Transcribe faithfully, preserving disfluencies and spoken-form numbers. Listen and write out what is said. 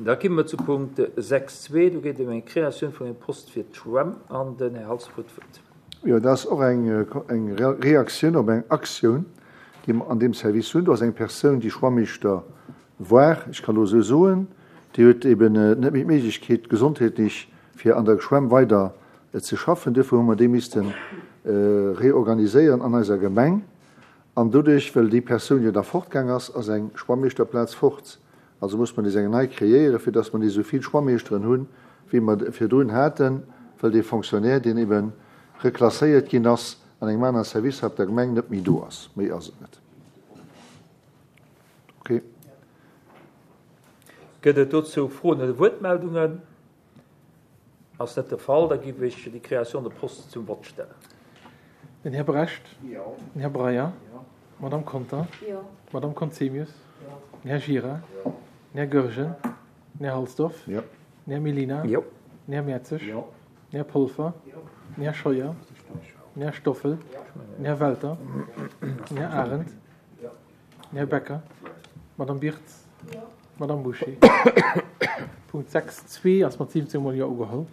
Da komme mer zu Punkt sechs zwee. Do geet et ëm eng Kreatioun vun engem Poste fir d'Schwämm an den Här Halsdorf huet d'Wuert. Jo, dat ass och eng, eng Reaktioun op eng Aktioun, déi mer an deem Service hunn. Do ass eng Persoun, déi Schwammeeschter war, ech kann elo esou soen, déi huet eben net méi d'Méiglechkeet gesondheetlech, fir an der Schwämm weider ze schaffen. Duerfir hu mer déi misste reorganiséieren an eiser Gemeng. An doduerch, well déi Persoun jo da fortgaang ass, ass eng Schwammeeschterplaz fort. Also muss mer nees eng nei kreéieren, fir dass mer nees esou vill Schwammeeschteren hunn, wéi mer virdrun haten, well dee Fonctionnaire, deen ebe reklasséiert ginn ass an engem anere Service hei op der Gemeng, net méi do ass. Méi ass et net. Okay. Gëtt et dozou Froen oder Wuertmeldungen? Ass net de Fall, da géif ech déi Création de poste zum Vott stellen. Den Här Brecht. Jo. Den Här Breyer. Jo. D'Madame Conter. Jo. D'Madame Conzemius. Jo. Den Här Gira. Jo. Den Här Goergen. Den Här Halsdorf. Jo. Den Här Mellina. Jo. Den Här Mertzig. Jo. Den Här Polfer. Jo. Den Här Scheuer. Den Här Stoffel. Den Här Welter. Den Här Arendt. Jo. Den Här Becker. D'Madame Birtz. Jo. D'Madame Bouché. Punkt sechs zwee ass mat siwwenzéng Mol Jo ugeholl.